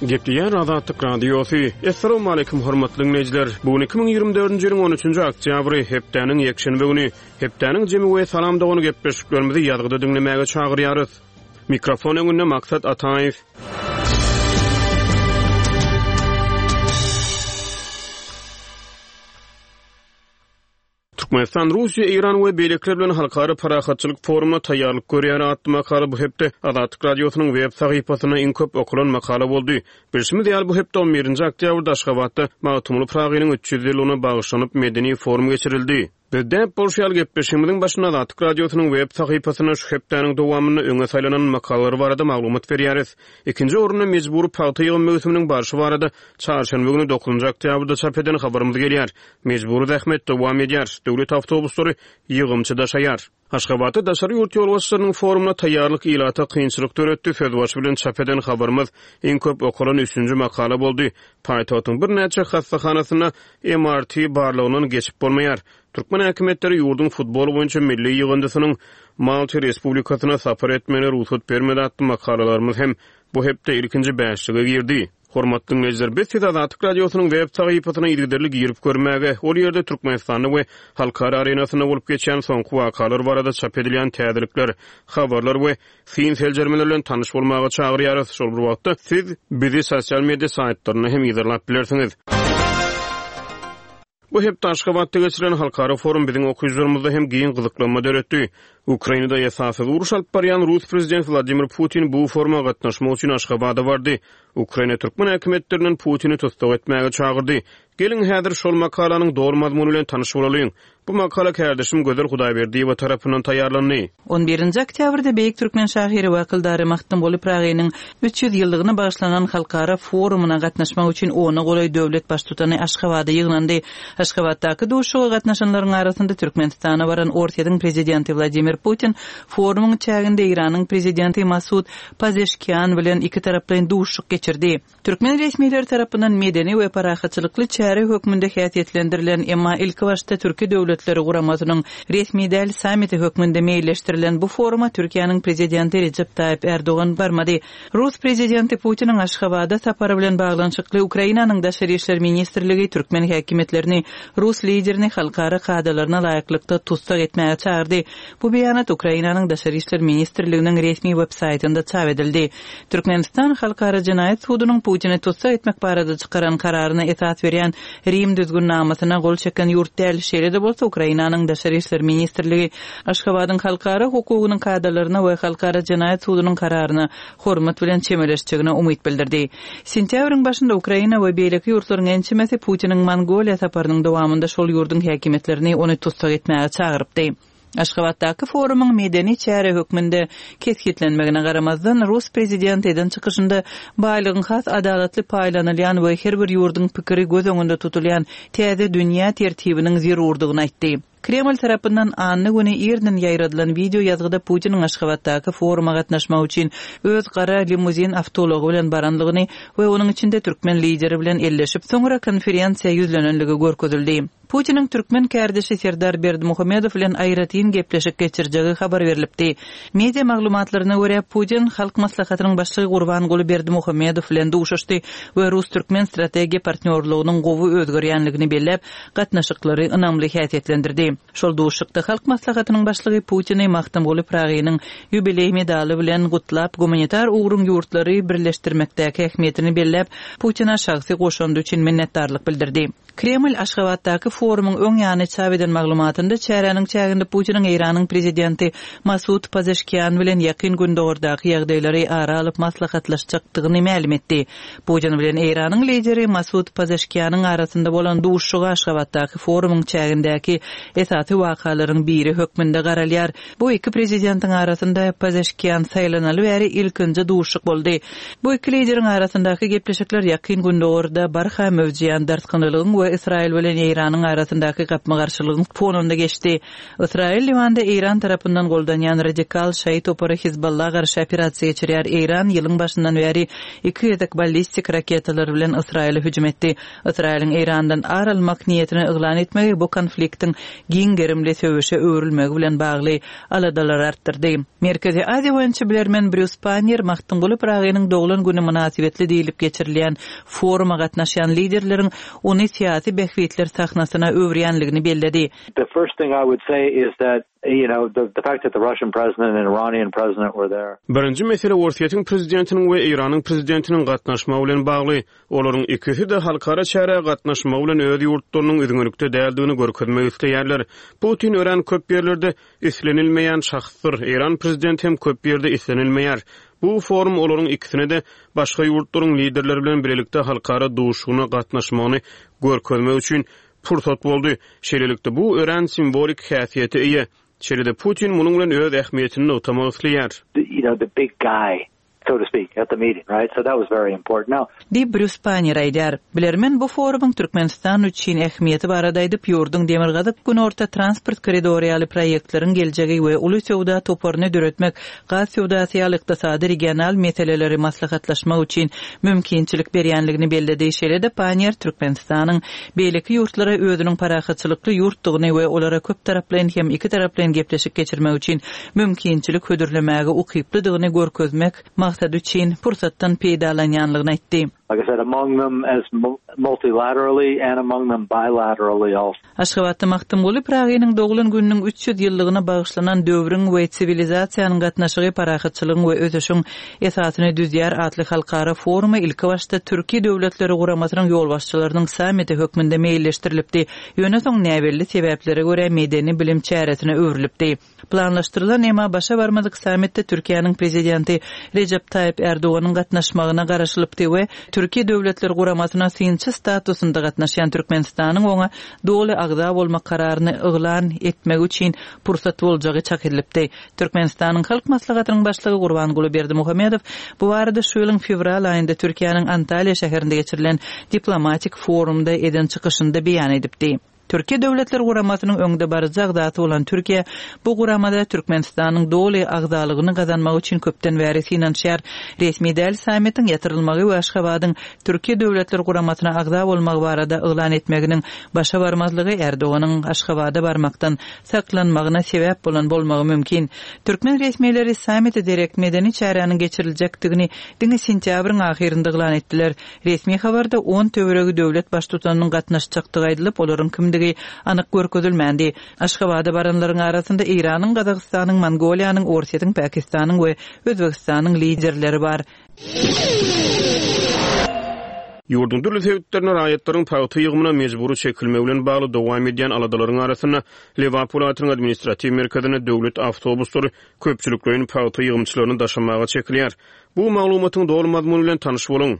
Gepleýär Azatlyk Radiosy. Essalawmaleýkim hormatly diňleýjiler! Bu gün 2024-nji ýylyň 13-nji oktýabry, hepdäniň ýekşenbe güni. Hepdäniň jemi we Salam dogan gepleşiklerimizi ýazgyda diňlemäge çagyrýarys. Mikrofon öňünde Maksat Ataýew. Türkmenistan Russiýa, Eýran we beýlekiler bilen halkara parahatçylyk forumyna taýýarlyk görýär atly makala bu hepde Azatlyk Radiosynyň web sahypasynda iň köp okalan makala boldy. Bilşimiz ýaly, bu hepde on birinji oktýabrda Aşgabatda Magtymguly Pyragynyň 300 ýyllygyna bagyşlanyp medeni forum geçirildi. Biz däp bolşy ýaly gepleşigimiziň başynda Azatlyk Radiosynyň web sahypasynda şu hepdäniň dowamynda öňe saýlanan makalalar barada maglumat berýäris. Ikinji orunda mejbury pagta ýygym möwsüminiň barşy barada çarşenbe güni dokuzynjy oktýabrda çap eden habarymyz gelýär. Mejbury zähmet dowam edýär, döwlet awtobuslary ýygymçy daşaýar. Aşgabatda daşary ýurt ýolbaşçylarynyň forumyna taýýarlyk ilata kynçylyk döretdi sözbaşy bilen çap eden habarymyz iň köp okalan üçünji makala boldy. Paýtagtyň birnäçe hassahanasynda MRT barlagyndan geçip bolmaýar. Türkmen häkimiýetleri ýurduň futbol boýunça milli ýygyndysynyň Malta Respublikasyna sapar etmegine rugsat bermedi atly makalalarymyz hem bu hepde ilkinji bäşlige girdi. Hormatly diňleýjiler, biz sizi Azatlyk Radiosynyň web sahypasyna yzygiderli girip görmäge, ol ýerde Türkmenistanda we halkara arenasynda bolup geçýän soňky wakalar barada çap edilýän täzelikler, habarlar we syn-seljermeler bilen tanyş bolmaga çagyrýarys. Şol bir wagtda, siz bizi sosial media saýtlarynda hem yzarlap bilersiňiz. Bu hepde Aşgabatda geçirilen halkara forum biziň okyjylarymyzda hem giň gyzyklanma döretdi. Ukrainada esassyz uruş alyp barýan rus prezidenti Wladimir Putin bu foruma gatnaşmak üçin Aşgabada bardy. Ukraina türkmen häkimiýetlerinden Putini tussag etmäge çagyrdy. Geliň, häzir şol makalanyň doly mazmuny bilen tanyş bolalyň. Bu makala kärdeşim Gözel Hudaýberdiýewa tarapyndan taýýarlandy. On birinji oktýabrda beýik türkmen şahyry we akyldary Magtymguly Pyragynyň 300 ýyllygyna bagyşlanan halkara forumyna gatnaşmak üçin ona golaý döwlet Baştutany Aşgabada ýygnandy. Aşgabatdaky duşuşyga gatnaşanlaryň arasynda Türkmenistana baran Orsýetiň Prezidenti Wladimir Putin forumyň çäginde Eýranyň Prezidenti Masud Pazeşkian bilen ikitaraplaýyn duşuşyk geçirdi. Türkmen resmileri tarapyndan medeni we parahatçylykly çäre hökmünde häsiýetlendirilen, emma ilkibaşda Türki Döwletleri Guramasynyň resmi däl sammiti hökmünde meýilleşdirilen bu foruma Türkiýäniň Prezidenti Rejep Taýyp Ärdogan barmady. Rus Prezidenti Putiniň Aşgabada sapary bilen baglanyşykly Ukrainanyň Daşary işler ministrligi türkmen häkimiýetlerini rus liderini halkara kadalaryna laýyklykda tussag etmäge çagyrdy. Bu beýanat Ukrainanyň Daşary işler ministrliginiň resmi web-saýtynda çap edildi. Türkmenistan Halkara jenaýat sudunyň Putini tussag etmek barada çykaran kararyna esas berýän Rim düzgünnamasyna gol çeken ýurt däl. Şeýle-de bolsa, Ukrainanyň Daşary işler ministrligi Aşgabadyň halkara hukugynyň kadalaryna we Halkara jenaýat sudunyň kararyna hormat bilen çemeleşjegine umyt bildirdi. Sentýabryň başynda Ukraina we beýleki ýurtlaryň ençemesi Putiniň Mongoliýa saparynyň dowamynda şol ýurduň häkimiýetlerini ony tussag etmäge çagyrypdy. Aşgabatdaky forumyň medeni çäre hökmünde kesgitlenmegine garamazdan, rus prezidenti eden çykyşynda baýlygyň has adalatly paýlanylýan we her bir ýurduň pikiri göz öňünde tutulýan täze dünýä tertibiniň zerurdygyny aýtdy. Kreml tarapyndan anna güni irden ýaýradylan wideo ýazgyda Putiniň Aşgabatdaky foruma gatnaşmak üçin öz gara limuzin awtoulagy bilen baranlygyny we onuň içinde türkmen lideri bilen elleşip, soňra konferensiýa ýüzlenenligi görkezildi. Putiniň türkmen kärdeşi Serdar Berdimuhamedow bilen aýratyn gepleşik geçirjegi habar berlipdi. Media maglumatlaryna görä, Putin Halk Maslahatynyň Başlygy Gurbanguly Berdimuhamedow bilen duşuşdy we rus-türkmen strategiýa partnýorlygynyň gowy özgerýänligini belläp, gatnaşyklary ynamly häsiýetlendirdi. Şol duşuşykda Halk Maslahatynyň Başlygy Putini Magtymguly Pyragynyň ýubileý medaly bilen gutlap, gumanitar ugruň ýurtlary birleşdirmekdäki ähmiýetini belläp, Putine şahsy goşandy üçin minnetdarlyk bildirdi. Kreml Aşgabatdaky forumyň öň ýany çap eden maglumatynda çäräniň çäginde Putiniň Eýranyň prezidenti Masud Pazeşkian bilen Ýakyn Gündogardaky ýagdaýlary ara alyp maslahatlaşjakdygyny mälim etdi. Putin bilen Eýranyň lideri Masud Pazeşkianyň arasynda bolan duşuşyga Aşgabatdaky forumyň çägindäki esasy wakalaryň biri hökmünde garalýar. Bu iki prezidentiň arasynda Pezeşkian saýlanaly bäri ilkinji duşuşyk boldy. Bu iki lideriň arasyndaky gepleşikler Ýakyn Gündogarda barha möwjeýän dartgynlylygyň we. we Ysraýyl bilen Eýranyň arasyndaky gapma-garşylygyň fonunda geçdi. Ysraýyl Liwanda Eýran tarapyndan goldanýan radikal şaýy topary Hizballa garşy operasiýa geçirýär. Eýran ýylyň başyndan bäri iki gezek ballistik raketalar bilen Ysraýyla hüjüm etdi. Ysraýylyň Eýrandan ar almak niýetini yglan etmegi bu konfliktiň giň gerimli söweşe öwrülmegi bilen bagly aladalary artdyrdy. Merkezi Aziýa boýunça bilermen Brýus Panniýer Magtymguly Pyragynyň doglan güni mynasybetli diýlip geçirilýän foruma gatnaşýan liderleriň ony syýasy bähbitler sahnasyna öwürýänligini belledi. The first thing I would say is that, you know, the, the fact that the Russian president and Iranian president were there. Birinji mesele Orsýetiň prezidentiniň we Eýranyň prezidentiniň gatnaşmagy bilen bagly. Olaryň ikisi-de halkara çärä gatnaşmagy bilen öz ýurtlarynyň üzňelikde däldigini görkezmek isleýärler. Putin örän köp ýerlerde islenilmeýän şahsdyr, Eýran prezidenti hem köp ýerde islenilmeýär. Bu forum olaryň ikisine-de başga ýurtlaryň liderleri bilen bilelikde halkara duşuşygyna gatnaşmagyny görkezmek üçin pursat boldy. Şeýlelikde, bu örän simwolik häsiýete eýe. Şeýle-de Putin munuň bilen öz ähmiýetini nygtamak isleýär. You know, the big guy, so to speak, at the meeting, right? So that was very important. Now. Diýip, Brýus Panniýer aýdýar. Bilermen bu forumyň Türkmenistan üçin ähmiýeti barada aýdyp, ýurduň Demirgazyk-Günorta transport koridory ýaly proýektleriň geljegi we uly söwda toparyny döretmek, gaz söwdasy ýaly ykdysady regional meseleleri maslahatlaşmak üçin mümkinçilik berýänligini belledi. Şeýle-de Panniýer Türkmenistanyň beýleki ýurtlara özüniň parahatçylykly ýurtdugyny we olara köptaraplaýyn hem ikitaraplaýyn gepleşik geçirmek üçin mümkinçilik hödürlemäge ukyplydygyny görkezmek maksady üçin pursatdan peýdalanýanlygyny aýtdy. Like I said, among them as multilaterally and among them bilaterally also. Aşgabatda Magtymguly Pyragynyň doglan gününiň 300 ýyllygyna bagyşlanan Döwrüň we siwilizasiýanyň gatnaşygy parahatçylygyň we ösüşiň esasyny düzýär atly halkara forumy ilkibaşda Türki Döwletleri Guramasynyň ýolbaşçylarynyň sammiti hökmünde meýilleşdirilipdi, ýöne soň näbelli sebäplere görä medeni-bilim çäresine öwrülipdi. Planlaşdyrylan, emma başa barmadyk sammitde Türkiýäniň Prezidenti Rejep Taýyp Ärdoganyň gatnaşmagyna garaşylypdy we Türki Döwletler Guramasyna synçy statusynda gatnaşýan Türkmenistanyň oňa doly agza bolmak kararyny yglan etmegi üçin pursat boljagy çak edilipdi. Türkmenistanyň Halk Maslahatynyň Başlygy Gurbanguly Berdimuhamedow bu barada şu ýylyň fewral aýynda Türkiýäniň Antalýa şäherinde geçirilen diplomatik forumda eden çykyşynda beýan edipdi. Türki Döwletler Guramasynyň öňdebaryjy agzasy bolan Türkiýe bu guramada Türkmenistanyň doly agzalygyny gazanmak üçin köpden bäri synanyşýar. Resmi däl sammitiň ýatyrylmagy we Aşgabadyň Türki Döwletler Guramasyna agza bolmagy barada yglan etmeginiň başa barmazlygy Erdoganyň Aşgabada barmakdan saklanmagyna sebäp bolan bolmagy mümkin. Türkmen resmileri sammite derek medeni çäräniň geçiriljekdigini diňe sentýabryň ahyrynda yglan etdiler. Resmi habarda on töweregi döwlet Baştutanynyň gatnaşjakdygy aýdylyp, olaryň kimdigi anyk görkezilmändi. Aşgabada baranlaryň arasynda Eýranyň, Gazagystanyň, Mongoliýanyň, Orsýetiň, Pakistanyň we Özbegistanyň liderleri bar. Ýurduň dürli sebitlerinde raýatlaryň pagta ýygymyna mejbury çekilmegi bilen bagly dowam edýän aladalaryň arasynda, Lebap welaýatynyň administratiw merkezinde döwlet awtobuslary köpçülikleýin pagta ýygymçylaryny daşamaga çekilýär. Bu maglumatyň doly mazmuny bilen tanyş boluň.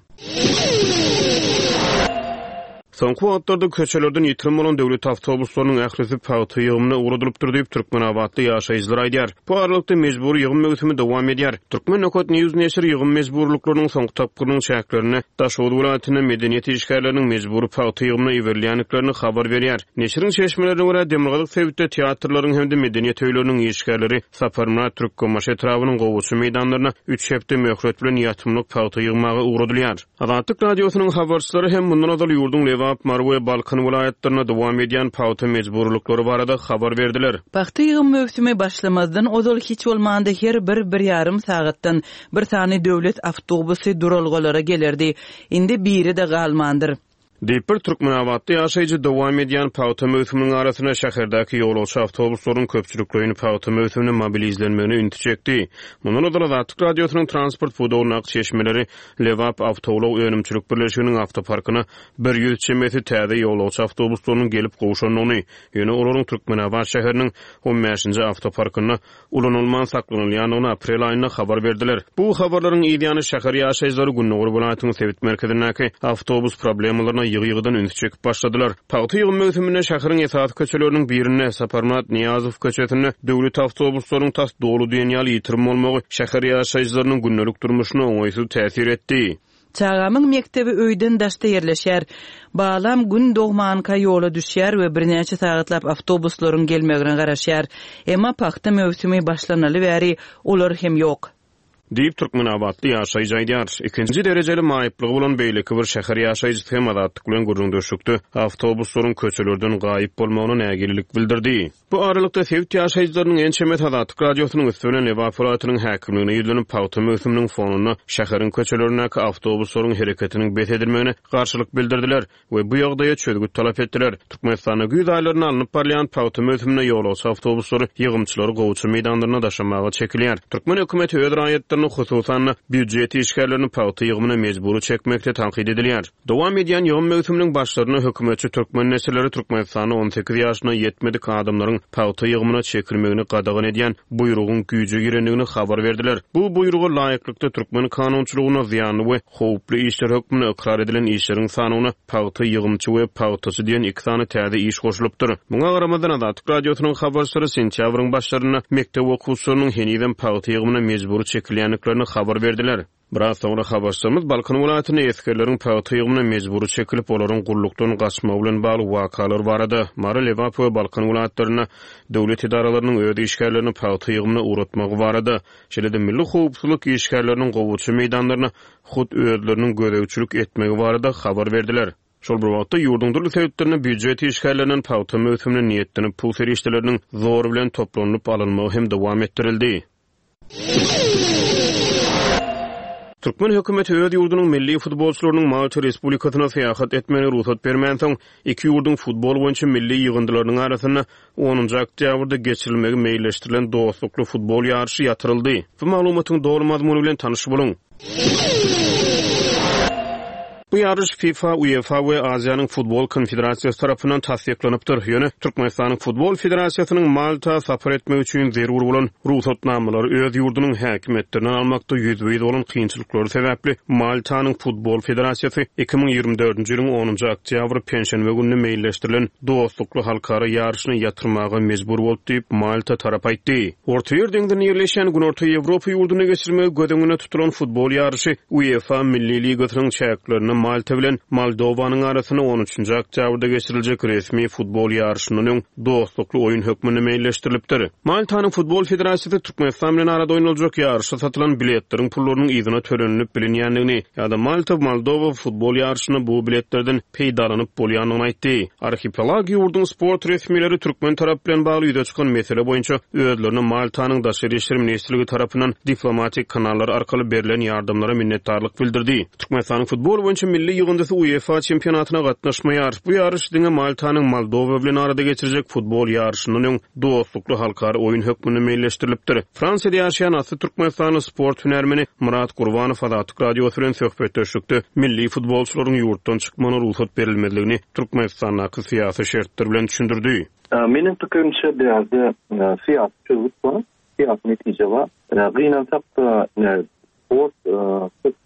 Soňky wagtlarda köçelerden ýitirim bolan döwlet awtobuslarynyň ählisi pagta ýygymyna ugradylypdyr diýip, türkmenabatly ýaşaýjylar aýdýar. Bu aralykda, mejbury ýygym möwsümi dowam edýär. Turkmen. News neşiri ýygym mejburylyklarynyň soňky tapgyrynyň çäklerinde Daşoguz welaýatynda medeniýet işgärleriniň mejbury pagta ýygymyna iberilýändiklerini habar berýär. Neşiriň çeşmelerine görä, demirgazyk sebitde teatrlaryň hem-de medeniýet öýleriniň işgärleri Saparmyrat Türkmenbaşy etrabynyň gowaça meýdanlaryna üç hepde möhlet bilen ýatymlyk pagta ýygmaga ugradylýar. Azatlyk Radiosynyň habarçylary hem mundan ozal ýurduň Lebap, Mary we Balkan welaýatlarynda dowam edýän pagta mejburylyklary barada habar berdiler. Pagta ýygym möwsümi başlamazdan ozal hiç bolmanda her bir bir ýarym sagatdan bir sany döwlet awtobusy duralgalara gelerdi. Indi biri-de galmandyr. Diýip, bir türkmenabatly ýaşaýjy dowam edýän pagta möwsüminiň arasynda şäherdäki ýolagçy awtobuslaryň köpçülikleýin pagta möwsümine mobilizlenmegine ünsi çekdi. Mundan ozal Azatlyk Radiosynyň transport pudagyndaky çeşmeleri Lebap awtoulag önümçilik birleşiginiň awtoparkyna 100 çemesi täze ýolagçy awtobuslarynyň gelip gowşandygyny, ýöne olaryň Türkmenabat şäheriniň on bäşinji awtoparkynda ulanylman saklanylýandygyny aprel aýynda habar berdiler. Bu habarlaryň yz ýany şäher ýaşaýjylary gündogar welaýatyň sebit merkezindäki awtobus problemalaryna ýygy-ýygydan ünsi çekip başladylar. Pagta ýygym möwsüminde şäheriň esasy köçeleriniň birinde, Saparmyrat Nyýazow köçesinde döwlet awtobuslaryň tas doly diýen ýaly ýitirim bolmagy şäher ýaşaýjylarynyň gündelik durmuşyna oňaýsyz täsir etdi. Çagamyň mekdebi öýden daşda ýerleşýär. Balam Gün dogmanka ýola düşýär we birnäçe sagatlap awtobuslaryň gelmegine garaşýar. Emma pagta möwsümi başlanaly bäri olar hem ýok. Diýip, türkmenabatly ýaşaýjy aýdýar. Ikinji derejeli maýyplygy bolan beýleki bir şäher ýaşaýjysy hem Azatlyk bilen gürrüňdeşlikde awtobuslaryň köçelerden gaýyp bolmagyna nägilelik bildirdi. Bu aralykda, sebit ýaşaýjylarynyň ençemesi Azatlyk Radiosynyň üsti bilen Lebap welaýatynyň häkimligine ýüzlenip, pagta möwsüminiň fonunda şäheriň köçelerindäki awtobuslaryň hereketiniň bes edilmegine garşylyk bildirdiler we bu ýagdaýa çözgüt talap etdiler. Türkmenistanda güýz aýlarynda alnyp barylýan pagta möwsüminde ýolagçy awtobuslary ýygymçylary gowaça meýdanlaryna daşamaga çekilýär. Türkmen hökümeti öz raýatlaryny, hususan-da, býujet işgärlerini pagta ýygymyna mejbury çekmekde tankyt edilýär. Dowam edýän ýygym möwsüminiň başlarynda hökümetçi türkmen neşirleri Türkmenistanda 18 ýaşyna ýetmedik adamlaryň pagta ýygymyna çekilmegini gadagan edýän buýrugyň güýje girendigini habar berdiler. Bu buýruga laýyklykda türkmen kanunçylygynda zyýanly we howply işler hökmünde ykrar edilen işleriň sanawyna pagta ýygymçy we pagtaçy diýen iki sany täze iş goşulypdyr. Muňa garamazdan, Azatlyk Radiosynyň habarçylary sentýabryň başlarynda mekdep okuwçylarynyň henizem pagta ýygymyna mejbury çekilýändiklerini habar berdiler. Biraz soňra habarçymyz Balkan welaýatynda esgerleriň pagta ýygymyna mejbury çekilip, olaryň gullukdan gaçmagy bilen bagly wakalar barada, Mary, Lebap we Balkan welaýatlarynda döwlet edaralarynyň öz işgärlerini pagta ýygymyna ugratmagy barada, şeýle-de milli howpsuzlyk işgärleriniň gowaça meýdanlaryna hut özleriniň gözegçilik etmegi barada habar berdiler. Şol bir wagtda, ýurduň dürli sebitlerinde býujet işgärlerinden pagta möwsümine niýetlenip pul serişdeleriniň zor bilen toplanylyp alynmagy hem dowam etdirildi. Türkmen hökümeti öz ýurdunyň milli futbolçylarynyň Malta Respublikasyna syýahat etmegine rugsat bermänsoň, iki ýurduň futbol boýunça milli ýygyndylarynyň arasynda onunjy oktýabrda geçirilmegi meýilleşdirilen dostlukly futbol ýaryşy ýatyryldy. Bu maglumatyň doly mazmuny bilen tanyş boluň. Bu ýaryş FIFA, UEFA we Aziýanyň Futbol Konfederasiýasy tarapyndan tassyklanypdyr. Ýöne Türkmenistanyň Futbol federasiýasynyň Malta sapar etmek üçin zerur bolan rugsatnamalary öz ýurdunyň häkimiýetlerinden almakda ýüzbe-ýüz bolan kynçylyklary sebäpli Maltanyň Futbol federasiýasy 2024-nji ýylyň onunjy oktýabry penşenbe gününe meýilleşdirilen dostlukly halkara ýaryşyny ýatyrmaga mejbur boldy diýip, Malta tarapy aýtdy. Ortaýer deňzinde ýerleşýän Günorta Ýewropa ýurdunda geçirmegi göz öňünde tutulan futbol ýaryşy UEFA Milli ligasynyň çäklerinde Malta bilen Moldowanyň arasynda on üçünji oktýabrda geçiriljek resmi futbol ýaryşyndan öň dostlukly oýun hökmünde meýilleşdirilipdir. Maltanyň Futbol federasiýasy Türkmenistan bilen arada oýnaljak ýaryşa satylan biletleriň pullarynyň yzyna tölenilip bilinýändigini ýa-da Malta-Moldowa futbol ýaryşynda bu biletlerden peýdalanyp bolýandygyny aýtdy. Arhipelag ýurduň sport resmileri türkmen tarapy bilen bagly ýüze çykan mesele boýunça özlerine Maltanyň Daşary işler ministrligi tarapyndan diplomatik kanallar arkaly berlen ýardamlara minnetdarlyk bildirdi. Türkmenistanyň futbol boýunça milli ýygyndysy UEFA çempionatyna gatnaşmaýar. Bu ýaryş diňe Maltanyň Moldowa bilen arada geçirjek futbol ýaryşyndan öň dostlukly halkara oýun hökmünde meýilleşdirilipdir. Fransiýada ýaşaýan asly türkmenistanly sport hünärmeni Myrat Gurbanow Azatlyk Radiosy bilen söhbetdeşlikde milli futbolçylaryň ýurtdan çykmagyna rugsat berilmezligini Türkmenistandaky syýasy şertler bilen düşündirdi. Meniň pikirimçe bu ýerde syýasy çözgüt bar, syýasy netije bar. Gynansak-da sport köp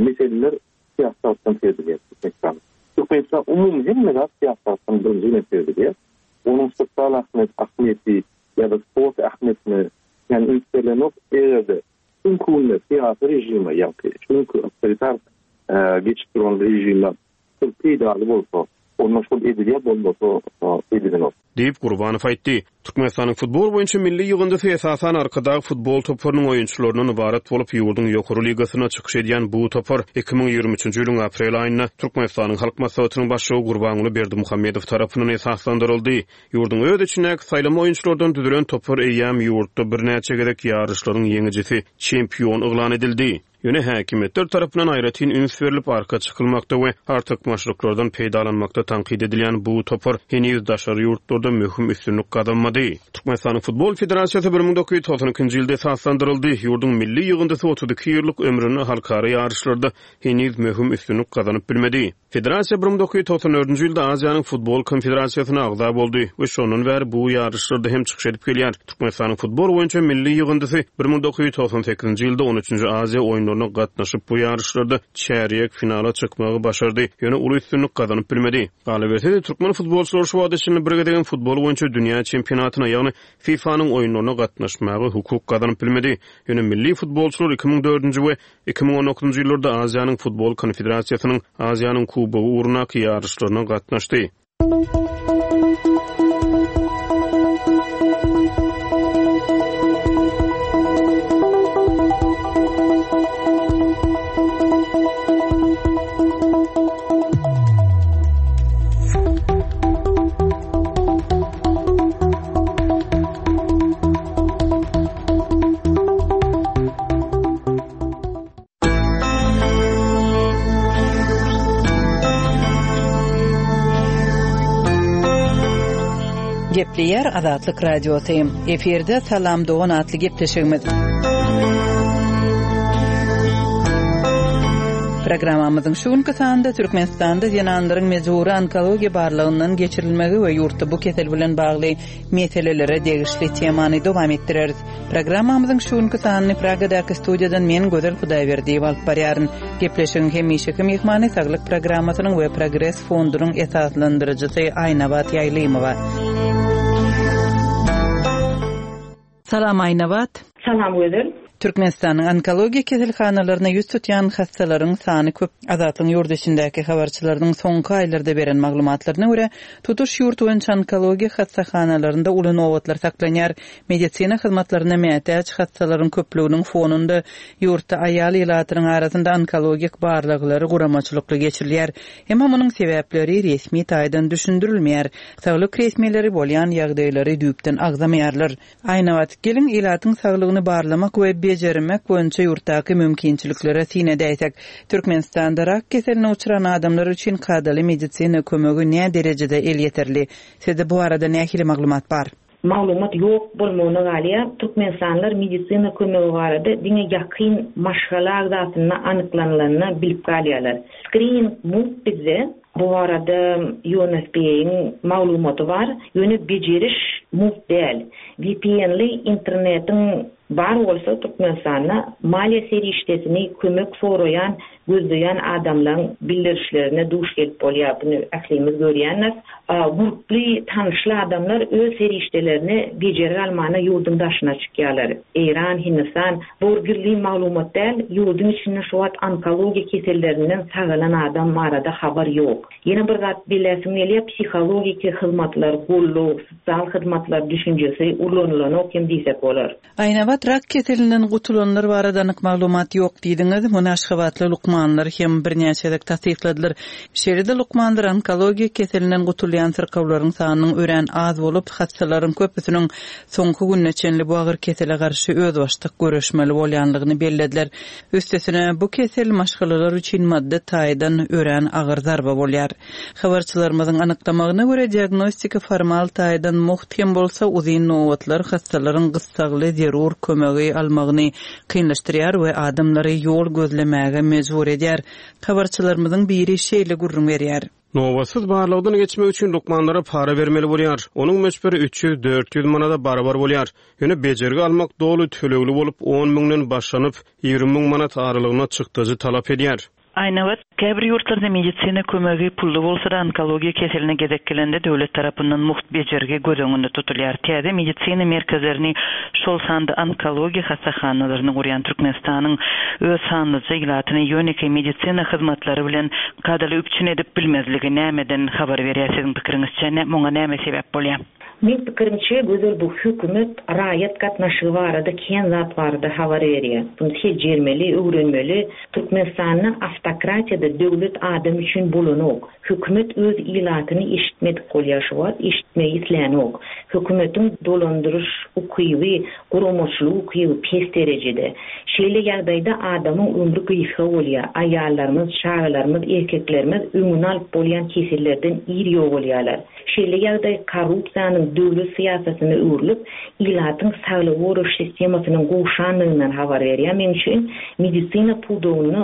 meseleler syýasy tarapdan çözülýär Türkmenistanda. Türkmenistan umumy hemme zat syýasy tarapdan birinji bilen çözülýär. Onuň sosial ahmiýeti ýa-da sport ähmiýetine kän üns berlenok. Eger-de şu günki günde syýasy režime, ýagny şu günki awtoritar geçip duran režime şol peýdaly bolsa, onda şol edilýär, bolmasa edilenok. Diýip, Gurbanow aýtdy. Türkmenistanyň futbol boýunça milli ýygyndysy esasan Arkadag futbol toparynyň oýunçylaryndan ybarat bolup, ýurduň ýokary ligasynda çykyş edýän bu topar 2023-nji ýylyň aprel aýynda Türkmenistanyň Halk Maslahatynyň Başlygy Gurbanguly Berdimuhamedow tarapyndan esaslandyryldy. Ýurduň öz içindäki saýlama oýunçylardan düzülen topar eýýäm ýurtda birnäçe gezek ýaryşlaryň ýeňijisi, çempion yglan edildi. Ýöne häkimiýetler tarapyndan aýratyn üns berlip arka çykylmakda we artykmaçlyklardan peýdalanmakda tankyt edilýän bu topar heniz daşary ýurtlarda möhüm üstünlik gazanmady. Türkmenistanyň Futbol federasiýasy 1992-nji ýylda esaslandyryldy. Ýurduň milli ýygyndysy 32 ýyllyk ömründe halkara ýaryşlarda heniz möhüm üstünlik gazanyp bilmedi. Federasiýa 1994-nji ýylda Aziýanyň Futbol Konfederasiýasyna agza boldy we şondan bäri bu ýaryşlarda hem çykyş edip gelýär. Türkmenistanyň futbol boýunça milli ýygyndysy 1998-nji ýylda on üçünji Aziýa oýunlaryna. oýunlaryna gatnaşyp, bu ýaryşlarda çärýek finala çykmagy başardy, ýöne uly üstünlik gazanyp bilmedi. Galyberse-de, türkmen futbolçylary şu wagta çenli bir gezegem futbol boýunça dünýä çempionatyna, ýagny FIFA-nyň oýunlaryna gatnaşmaga hukuk gazanyp bilmedi. Ýöne milli futbolçylar 2004-nji we 2019-njy ýyllarda Aziýanyň Futbol konfederasiýasynyň Aziýanyň Kubogy ugrundaky ýaryşlaryna gatnaşdy. Gepleýär Azatlyk Radiosy. Efirde Salam dogan atly gepleşigimiz. Programmamyzyň şu günki sanynda Türkmenistanda zenanlaryň mejbury onkologiýa barlagyndan geçirilmegi we ýurtda bu kesel bilen bagly meselelere degişli temany dowam etdireris. Programmamyzyň şu günki sanyny Pragadaky studiýadan men Gözel Hudaýberdiýewa alyp barýaryn. Gepleşigiň hemişeki myhmany Saglyk programmasynyň we Progres fondunyň esaslandyryjysy Aýnabat Ýaýlymowa. Salam Aýnabat. Salam Gözel. Türkmenistanyň onkologiýa keselhanalaryna ýüz tutýan hassalaryň sany köp. Azatlygyň ýurt içindäki habarçylarynyň soňky aýlarda beren maglumatlaryna görä, tutuş ýurt boýunça onkologiýa hassahanalarynda uly nobatlar saklanýar. Medisina hyzmatlaryna mätäç hassalaryň köplüginiň fonunda ýurtda aýal ilatynyň arasynda onkologik barlaglary guramaçylykly geçirilýär. Emma munuň sebäpleri resmi taýdan düşündirilmeýär. Saglyk resmileri bolýan ýagdaýlary düýpden agzamaýarlar. Aýnabat, geliň ilatyň saglygyny barlamak we bejermek boýunça ýurtdaky mümkinçiliklere syn edäýsek. Türkmenistanda rak keseline uçran adamlar üçin kadaly medisina kömegi näderejede elýeterli? Sizde bu barada nähili maglumat bar? Maglumat ýok bolmagyna galýar. Türkmenistanlylar medisina kömegi barada diňe ýakyn maşgala agzasynda anyklanylanda bilip galýarlar. Skrining mugt bizde, bu barada UNFPA-yň maglumaty bar, ýöne bejeriş mugt däl. VPN-li internetiň bar bolsa Türkmenistanda maliýe serişdesini kömek soraýan gözleýän adamlaň bildirişlerine duş gelip bolýar, buny ählimiz görýändiris. Gurply, tanyşly adamlar öz serişdelerini bejergi almana ýurduň daşyna çykýarlar. Eýran, Hindistan, bu bir gizlin maglumat däl, ýurduň içinde şu wagt onkologiýa kesellerinden sagalan adam barada habar ýok. Ýene bir zat belläsim gelýär, psihologiki hyzmatlar, goldaw, sosial hyzmatlar düşünjesi ulanylanok hem diýsek bolar. Aýnabat rak keselinden gutulanlar barada anyk maglumat ýok diýdiňiz. Muny aşgabatly lukmanlar hem birnäçe gezek tassykladylar. Şeýle-de lukmanlar onkologiýa keselinden gutulýan syrkawlaryň sanynyň örän az bolup, hassalaryň köpüsiniň soňky gününe çenli bu agyr kesele garşy özbaşdak göreşmeli bolýanlygyny bellediler. Üstesine, bu kesel maşgalalar üçin maddy taýdan örän agyr zarba bolýar. Habarçylarymyzyň anyklamagyna görä, diagnostika formal taýdan mugt hem bolsa, uzyn nobatlar hassalaryň gyssagly zerur kömegi almagyny kynlaşdyrýar we adamlary ýol gözlemäge mejbur edýär. Habarçylarymyzyň biri şeýle gürrüň berýär. Nobatsyz barlagdan geçmek üçin lukmanlara para bermeli bolýar. Onuň möçberi 300-400 manada barabar bolýar. Ýöne bejergi almak doly tölegli bolup, on müňden başlanyp, 20 müň manat aralygynda çykdajy talap edýär. Aýnabat, käbir ýurtlarda medisina kömegi pully bolsa-da, onkologiýa keseline gezek gelende döwlet tarapyndan mugt bejergi göz öňünde tutulýar. Täze medisina merkezlerini, şol sanda onkologiýa hassahanalaryny gurýan Türkmenistanyň öz sanlyja ilatyny ýönekeý medisina hyzmatlary bilen kadaly üpjün edip bilmezligi nämeden habar berýär siziň pikiriňizçe, muňa näme sebäp bolýar? Meň pikirimçe Gözel bu hökümet raýat gatnaşygy barada kän zat barada habar berýär. Buny seljermeli, öwrenmeli. Türkmenistanda awtokratiýada döwlet adam üçin bolanok. Hökümet öz ilatyny eşitmedik bolýar şu wagt, eşitmegi islänok. Hökümetiň dolandyryş ukyby, guramaçylyk ukyby pes derejede. Şeýle ýagdaýda adamyň ömri gysga bolýar. Aýallarymyz, çagalarymyz, erkeklerimiz öňüni alyp bolýan kesellerden ir ýogalýarlar. Şeýle ýagdaý korrupsiýanyň döwlet syýasatyna öwrülip, ilatyň saglygy goraýyş sistemasynyň gowşandygyndan habar berýär. Meň üçin medisina pudagynda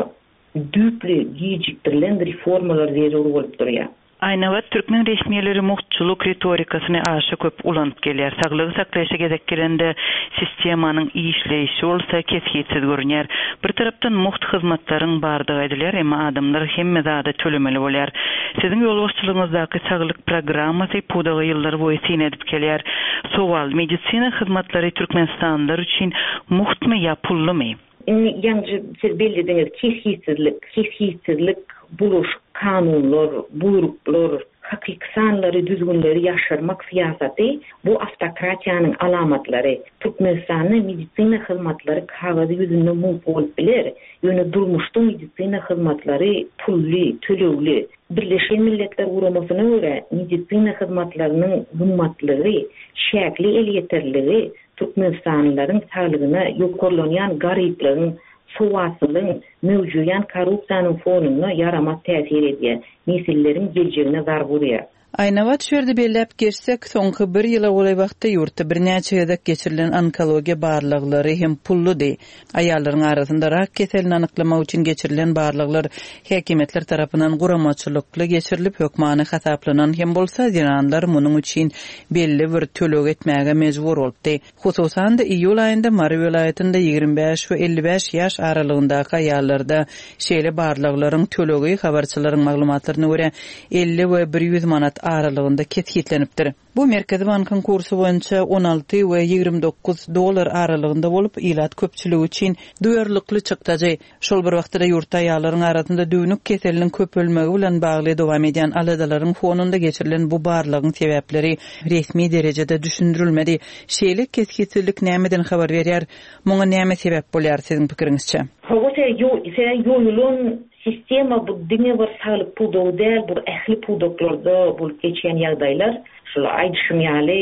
düýpli gijikdirilen reformalar zerur bolup durýar. Aýnabat türkmen resmileri mugtçulyk ritorikasyny aşa köp ulanyp gelýär. Saglygy saklaýşa gezek gelende sistemanyň işleýşi bolsa kesgitsiz görünýär. Bir tarapdan mugt hyzmatlaryň bardygy aýdylýar, emma adamlar hemme zada tölemeli bolýar. Siziň ýolbaşçylygyňyzdaky saglyk programmasy pudaga ýyllar boýy syn edip gelýär. Sowal, medisina hyzmatlary türkmenistanlylar üçin mugtmy ýa pullumy? Indi ýaňy siz bellediňiz, kesgitsizlik, kesgitsizlik, bulaşyk kanunlar, buýruklar, hakyky sanlary, düzgünleri ýaşyrmak syýasaty bu awtokratiýanyň alamatlary. Türkmenistanda medisina hyzmatlary kagyz ýüzünde mugt bolup biler, ýöne durmuşda medisina hyzmatlary pully, tölegli. Birleşen Milletler Guramasyna görä, medisina hyzmatlarynyň gymmatlygy, çäkli elýeterligi Türkmenistanlylaryň saglygyna ýokarlanýan garyplygyň, sowatsyzlygyň, möwjeýän korrupsiýanyň fonunda ýaramaz täsir edýär, nesilleriň geljegine zarba urýar. Aýnabat şu ýerde belläp geçsek, soňky bir ýyla golaý wagtda ýurtda birnäçe gezek geçirilen onkologiýa barlaglary hem pulludy. Aýallaryň arasynda rak keselini anyklamak üçin geçirilen barlaglar häkimiýetler tarapyndan guramaçylykly geçirilip, hökmany hasaplanan hem bolsa, zenanlar munuň üçin belli bir töleg etmäge mejbur bolupdy. Hususan-da, iýul aýynda Mary welaýatynda 25 we 55 ýaş aralygyndaky aýallarda şeýle barlaglaryň tölegi, habarçylaryň maglumatlaryna görä, 50 we 100 manat aralygynda kesgitlenipdir. Bu Merkezi bankyň kursy boýunça 16 we 29 dollar aralygynda bolup, ilat köpçüligi üçin duýarlykly çykdajy. Şol bir wagtda-da ýurtda aýallaryň arasynda düwnük keseliniň köpelmegi bilen bagly dowam edýän aladalaryň fonunda geçirilen bu barlagyň sebäpleri resmi derejede düşündirilmedi. Şeýle kesgitsizlik nämeden habar berýär? Muňa näme sebäp bolýar, siziň pikiriňizçe? Hawa, ýoýulan sistema bu diňe bir saglyk pudagy däl, bu ähli pudaklarda bolup geçýän ýagdaýlar. Şul aýdyşym ýaly,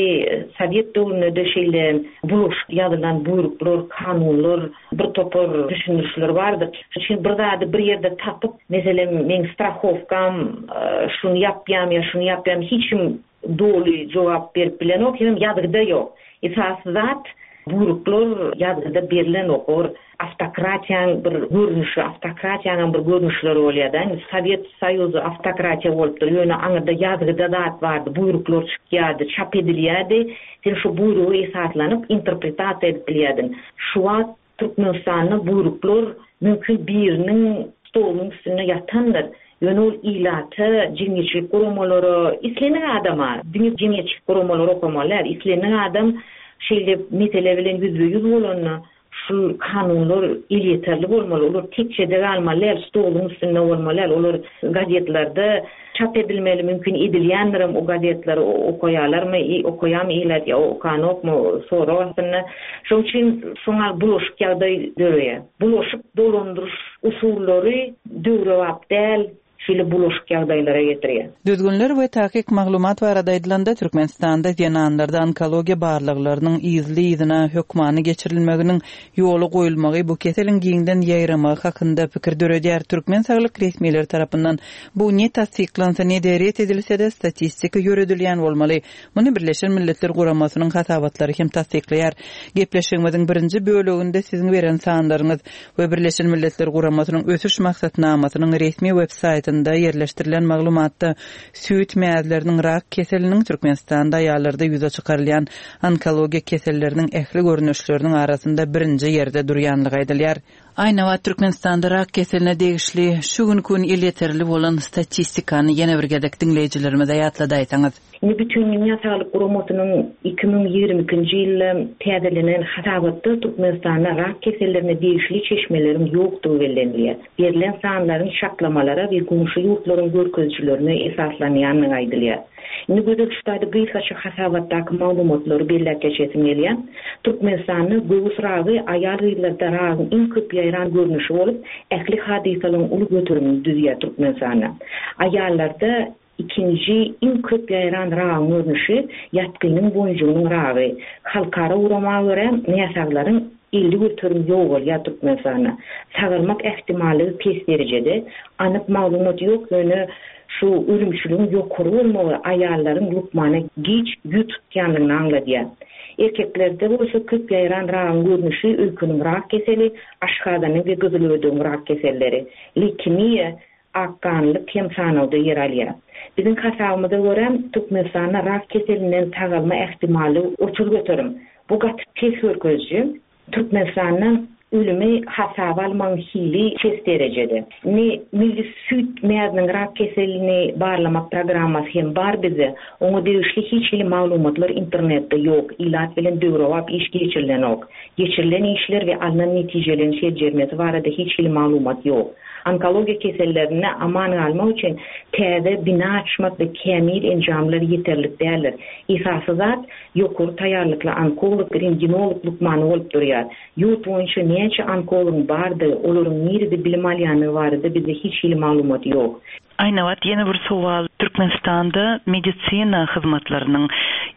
sowet döwründe-de şeýle bulaşyk ýazylan buýruklar, kanunlar, bir topar düşündirişler bardy. Şonuň üçin bir zady bir ýerde tapyp, meselem, meň strahowkam şuny ýapýam ýa şuny ýapýam hiç kim doly jogap berip bilenok, hemem ýazgyda ýok. Esasy zat, buýruklar ýazgyda berlenok. Ol awtokratiýaň bir görnüşi, awtokratiýaňam bir görnüşleri bolýar-da. Indi Sowet Soýuzy awtokratiýa bolupdyr, ýöne aňyrda ýazgyda zat bardy, buýruklar çykýardy, çap edilýärdi. Sen şo buýruga esaslanyp interpretasiýa edip bilýärdiň. Şu wagt Türkmenistanda buýruklar mümkin biriniň stolunyň üstünde ýatandyr. Ýöne ol ilata, jemgyýetçilik guramalara, islendik adama, diňe jemgyýetçilik guramalary okamaly däl, islendik adam şeýle mesele bilen ýüzbe-ýüz bolanda Şul kanunlar elýeterli bolmaly, olar tekjede galmaly däl, stoluň üstünde bolmaly däl, olar gazetlerde çap edilmeli, mümkin edilýändirem o gazetleri okaýarlarmy, okaýarmy ilat ýa okanokmy sorag astynda. Şoň üçin şoňa bulaşyk ýagdaý döreýär. Bulaşyk dolandyryş usullary döwrebap däl, Şeýle bulaşyk ýagdaýlara getirýär. Düzgünler we takyk maglumat barada aýdylanda, Türkmenistanda zenanlarda onkologiýa barlaglarynyň yzly-yzyna hökmany geçirilmeginiň ýola goýulmagy bu keseliň giňden ýaýramagy hakynda pikir döredýär. Türkmen saglyk resmileri tarapyndan bu ne tassyklansa, ne-de ret edilse-de, statistika ýöredilýän bolmaly. Muny Birleşen Milletler Guramasynyň hasabatlary hem tassyklaýar. Gepleşigimiziň birinji böleginde siziň beren sanlaryňyz we Birleşen Milletler Guramasynyň Ösüş Maksatnamasynyň resmi web saýtynda ýerleşdirilen maglumatda süýt mäzleriniň rak keseliniň Türkmenistanda aýallarda ýüze çykarylýan onkologiýa keselleriniň ähli görnüşleriniň arasynda birinji ýerde durýanlygy aýdylýar. Aýnabat Türkmenistanda rak keseline degişli şu günki gün elýeterli bolan statistikany ýene bir gezek diňleýjilerimize ýatladaýsaňyz. Indi Bütindünýä Saglyk Guramasynyň 2022-nji ýylda täzelenen hasabatda Türkmenistanda rak kesellerine degişli çeşmeleriň ýokdugy bellenilýär. Berlen sanlaryň çaklamalara we goňşy ýurtlaryň görkezijilerine esaslanýandygy aýdylýar. Indi Gözel şu taýda gysgaça hasabatdaky maglumatlary belläp geçesim gelýär. Türkmenistanda göwüs ragy aýal-gyzlarda ragyň iň köp ýaýran görnüşi bolup, ähli hadysalaryň uly göterimini düzýär Türkmenistanda. Aýallarda Ikinji iň köp ýaýran ragyň görnüşi ýatgynyň boýunjygynyň ragy. Halkara gurama görä, näsaglaryň 50% ýogalýar Türkmenistanda. Sagalmak ähtimallygy pes derejede. Anyk maglumat ýok, ýöne şu ölümçiligiň ýokary bolmagy aýallaryň lukmana giç ýüz tutýandygyny aňladýar. Erkeklerde bolsa köp ýaýran ragyň görnüşi öýkeniň rak keseli, aşgazanyň we gyzylödegiň rak keselleri, leýkemiýa. Akganlyk hem sanawda ýer alýar. Biziň hasabymyza görä, Türkmenistanda rak keselinden sagalma ähtimallygy 30%. Bu gaty pes görkeziji. Türkmenistanda ölümi hasaba almagyň hili pes derejede. Indi milli süýt mäziniň rak keselini barlamak programmasy hem bar bizde. Oňa degişli hiç hili maglumatlar internetde ýok, ilat bilen döwrebap iş geçirilenok. Geçirilen işler we alnan netijeleriň seljermesi barada hiç hili maglumat ýok. Onkologiýa kesellerinde aman galmak üçin täze bina açmak we kämil enjamlar ýeterlik däldir. Esasy zat, ýokary taýýarlykly onkolog, rentgenolog lukmany bolup durýar. Ýurt boýunça näçe onkologyň bardygy, olaryň nirede bilim alýandygy barada bizde hiç hili maglumat ýok. Aýnabat, ýene bir sowal, Türkmenistanda medisina hyzmatlarynyň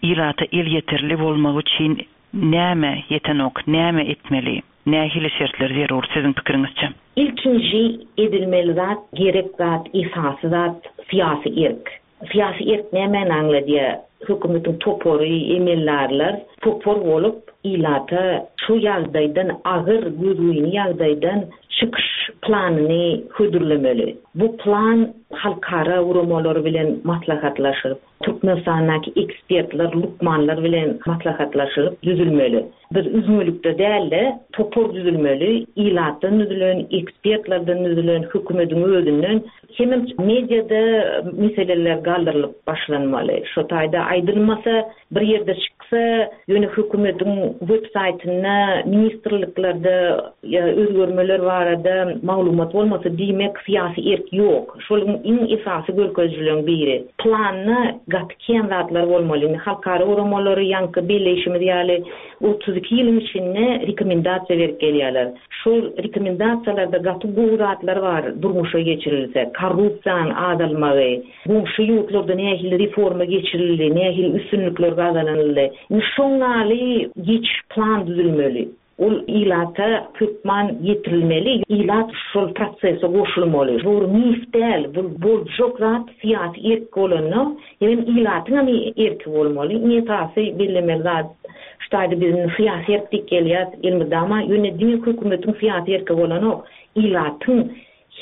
ilata elýeterli bolmagy üçin näme ýetenok, näme etmeli? Nähili şertler zerur siziň pikiriňizçe? Ilkinji edilmeli zat, gerek zat, esasy zat syýasy erk. Syýasy erk nämäni aňladýar? Hökümetiň topary, emeldarlar topar bolup ilata şu ýagdaýdan, agyr, gözgyny ýagdaýdan çykyş planyny hödürlemeli. Bu plan halkara guramalary bilen maslahatlaşyp, Türkmenistandaky ekspertler, lukmanlar bilen maslahatlaşylyp düzülmeli. Biz üzňelikde däl-de, topar düzülmeli, ilatdan düzülen, ekspertlerden düzülen, hökümediň özünden. Hemem mediada meseleler galdyrylyp başlanmaly. Şo taýda aýdylmasa, bir ýerde çyksa, ýöne hökümediň web saýtynda, ministrliklerde ýa özgermeler barada maglumat bolmasa, diýmek, syýasy erk ýok. Şol iň esasy görkezijileriň biri. Planda gaty kän zatlar bolmaly. Indi halkara guramalary ýaňky belleýşimiz ýaly 32 ýylyň içinde rekomendasiýa berip gelýärler. Şol rekomendasiýalarda gaty gowy zatlar bar durmuşa geçirilse, korrupsiýanyň azalmagy, goňşy ýurtlarda nähili reforma geçirildi, nähili üstünlikler gazanyldy. Indi şoň ýaly geçiş plan düzülmeli. Ol ilata hökman ýetirilmeli, ilat şol prosese goşulmaly. Bu bir mif däl, bu boljak zat syýasy erk bolanda, hemem ilatyň hem erki bolmaly. Iň esasy bellemeli zat şu taýda biz indi syýasy erk diýip gelýäs elmydama, ýöne diňe hökümetiň syýasy erki bolanok, ilatyň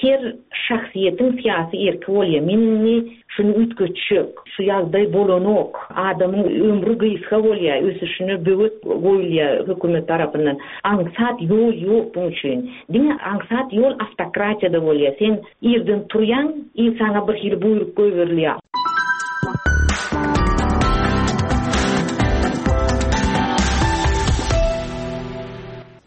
Her şahsyýetiň syýasy erki bolýar. Men indi şuny üýtgetjek. Şu ýagdaý bolanok. Adamyň ömri gysga bolýar, ösüşine böwet goýulýar hökümet tarapyndan. Aňsat ýol ýok buň üçin. Diňe aňsat ýol awtokratiýada bolýar. Sen irden turýaň i saňa bir hili buýruk goýberilýär.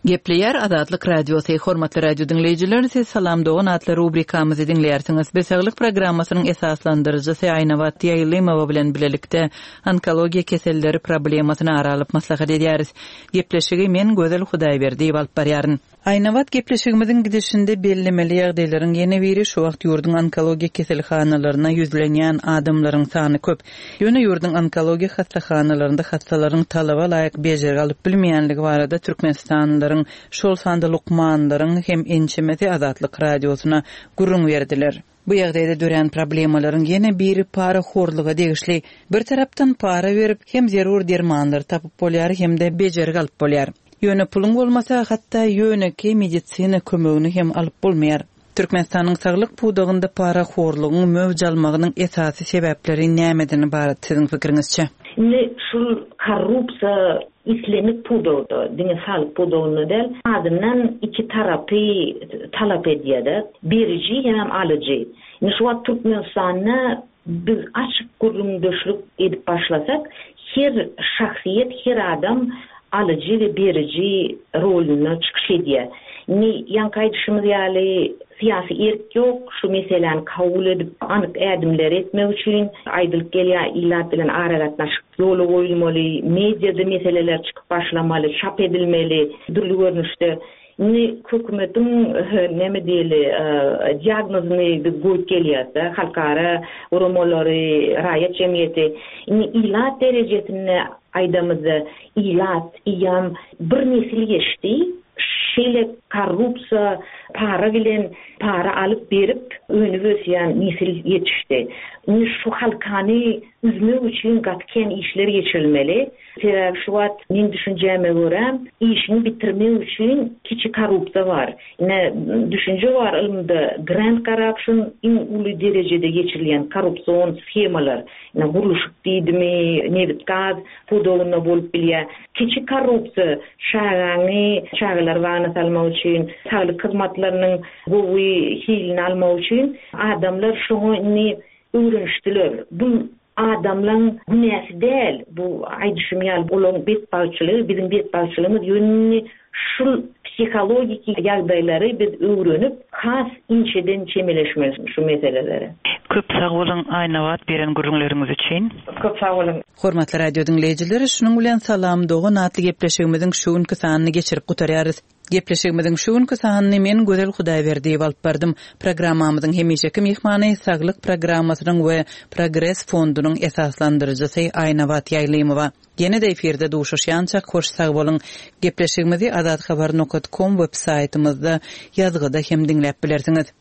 Gepleýär Azatlyk Radiosy, Hormatly radio diňleýjiler, siz Salam dogan atly rubrikamyzy diňleýärsiňiz. Biz Saglyk programmasynyň esaslandyryjysy Aýnabat Ýaýlymowa bilen bilelikde onkologiýa keselleri problemasyny ara alyp maslahat edýäris. Gepleşigi men Gözel Hudaýberdiýewa alyp barýaryn. Aýnabat gepleşigimiziň gidişinde bellemeli ýagdaýlaryň ýene biri şu wagt ýurduň onkologiýa keselhanalaryna ýüzlenýän adamlaryň sany köp. Ýöne ýurduň onkologiýa hassahanalarynda hassalaryň talaba laýyk bejergi alyp bilmeýänligi barada türkmenistanlylaryň, şol sanda lukmanlaryň hem ençemesi Azatlyk Radiosyna gürrüň berdiler. Bu ýagdaýda dörän problemalaryň ýene biri parahorluga degişli. Bir tarapdan para berip, hem zerur dermanlary tapyp bolýar, hem-de bejergi alyp bolýar. Ýöne puluň bolmasa, hatda ýönekeý medisina kömegini hem alyp bolmaýar. Türkmenistanyň saglyk pudagynda parahorlugyň möwç almagynyň esasy sebäpleri nämeden ybarat siziň pikiriňizçe? Indi şul korrupsiýa islendik pudagda, diňe saglyk pudagynda däl, azyndan iki tarapy talap edýär-de, beriji hemem alyjy. Indi şu wagt Türkmenistanda Biz açyk gürrüňdeşlik edip başlasak, her şahsyýet, her adam alyjy we beriji rolunda çykyş edýär. Indi ýaňky aýdyşymyz ýaly, syýasy erk ýok, şu meseläni kabul edip, anyk ädimleri etmek üçin aýdylyp gelýär, ilat bilen aragatnaşyk ýola goýulmaly, mediada meseleler çykyp başlamaly, çap edilmeli dürli görnüşde. Indi hökümetiň näme diýeli, diagnozyny biz goýup gelýäs-de, halkara guramalary, raýat jemgyýeti. Indi ilat derejesinde aýdamyzda, ilat eýýäm bir nesil geçdi, şeýle korrupsiýa, para bilen para alyp-berip önüp-ösýän nesil ýetişdi. Indi şu halkany. üzmek üçin gaty kän işler geçirilmeli. Sebäbi şu wagt meň düşünjäme görä, işiňi bitirmek üçin kiçi korrupsiýa bar. Ine, düşünje bar ylymda, grand corruption iň uly derejede geçirilýän korrupsion shemalar. Ine, gurluşyk diýdimi, nebit-gaz pudagynda bolup bilýär. Kiçi korrupsiýa çagaňy çagalar bagyna salmak üçin, saglyk hyzmatlarynyň gowy hilini almak üçin adamlar şoňa indi öwrenişdiler. Bu adamlaň günäsi däl, bu aýdyşym ýaly olaň betbagtçylygy, biziň betbagtçylygymyz, ýöne indi şul psihologiki ýagdaýlary biz öwrenip, has inçeden çemeleşmeli şu meselelere. Köp sag boluň Aýnabat beren gürrüňleriňiz üçin. Köp sag boluň. Hormatly radio diňleýjiler, şunuň bilen Salam dogan atly gepleşigimiziň şu günki sanyny geçirip gutarýarys. Gepleşigimiziň şu günki sanyny men Gözel Hudaýberdiýewa alyp bardym. Programmamyzyň hemişeki myhmany Saglyk programmasynyň we Progres fondunyň esaslandyryjysy Aýnabat Ýaýlymowa. Ýene-de efirde duşuşýançak hoş sag boluň. Gepleşigimizi azathabar nokat kom web saýtymyzda ýazgyda hem diňläp bilersiňiz.